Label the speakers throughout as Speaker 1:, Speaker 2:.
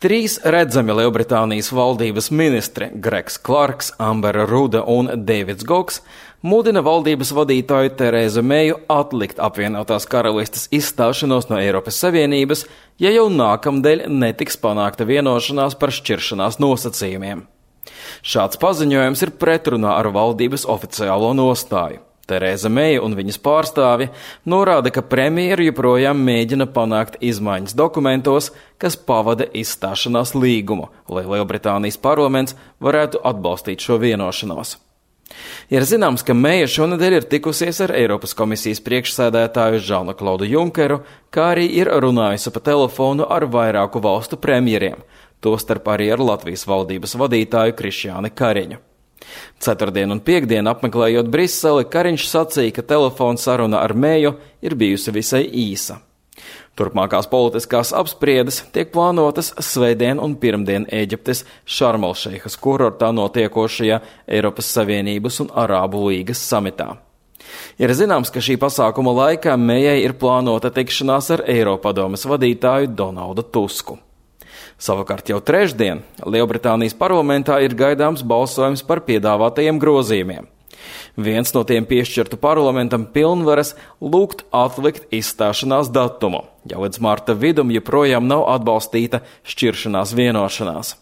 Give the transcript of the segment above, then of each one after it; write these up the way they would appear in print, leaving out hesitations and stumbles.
Speaker 1: Trīs redzami Lielbritānijas valdības ministri Gregs Clarks, Ambera Ruda un Deivids Goks mudina valdības vadītāju Terēzu Meju atlikt apvienotās karalistes izstāšanos no Eiropas Savienības, ja jau nākamdēļ netiks panākta vienošanās par šķiršanās nosacījumiem. Šāds paziņojums ir pretrunā ar valdības oficiālo nostāju. Terēza Meja un viņas pārstāvi norāda, ka premjeri joprojām mēģina panākt izmaiņas dokumentos, kas pavada izstāšanās līgumu, lai Lielbritānijas parlaments varētu atbalstīt šo vienošanos. Ir zināms, ka Meja šonedēļ ir tikusies ar Eiropas komisijas priekšsēdētāju Žanu-Klaudu Junkeru, kā arī ir runājusi pa telefonu ar vairāku valstu premjeriem, tostarp arī ar Latvijas valdības vadītāju Krišjāni Kariņu. Ceturtdien un piektdien apmeklējot Briseli, Kariņš sacīja, ka telefona saruna ar Meju ir bijusi visai īsa. Turpmākās politiskās apspriedes tiek plānotas svētdien un pirmdien Ēģiptes Šarmelšeihas kurortā notiekošajā Eiropas Savienības un Arābu līgas samitā. Ir zināms, ka šī pasākuma laikā Mejai ir plānota tikšanās ar Eiropadomes vadītāju Donaldu Tusku. Savukārt jau trešdien Lielbritānijas parlamentā ir gaidāms balsojums par piedāvātajiem grozījumiem. Viens no tiem piešķirtu parlamentam pilnvaras lūgt atlikt izstāšanās datumu, ja līdz marta vidum joprojām nav atbalstīta šķiršanās vienošanās.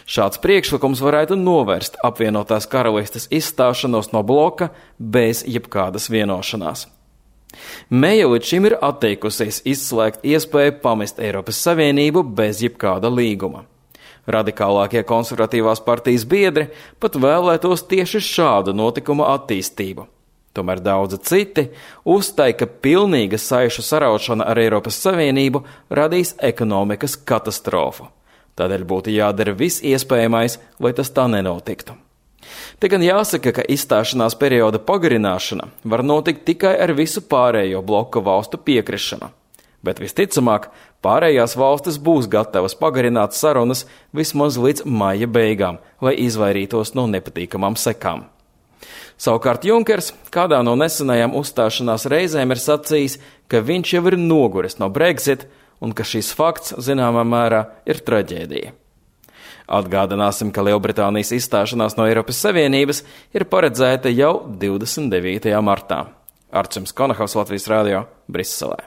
Speaker 1: Šāds priekšlikums varētu novērst apvienotās karalistes izstāšanos no bloka bez jebkādas vienošanās. Meja līdz šim ir atteikusies izslēgt iespēju pamest Eiropas Savienību bez jebkāda līguma. Radikālākie konservatīvās partijas biedri pat vēlētos tieši šādu notikumu attīstību. Tomēr daudzi citi uzstāja, ka pilnīga saišu saraušana ar Eiropas Savienību radīs ekonomikas katastrofu. Tādēļ būtu jādara viss iespējamais, lai tas tā nenotiktu. Te gan jāsaka, ka izstāšanās perioda pagarināšana var notikt tikai ar visu pārējo bloka valstu piekrišanu, bet visticamāk pārējās valstis būs gatavas pagarināt sarunas vismaz līdz maija beigām, lai izvairītos no nepatīkamām sekām. Savukārt Junkers kādā no nesenajām uzstāšanās reizēm ir sacījis, ka viņš jau ir noguris no Brexit un ka šis fakts zināmā mērā ir traģēdija. Atgādināsim, ka Lielbritānijas izstāšanās no Eiropas Savienības ir paredzēta jau 29. martā. Arčuns Konahaus, Latvijas radio, Briselē.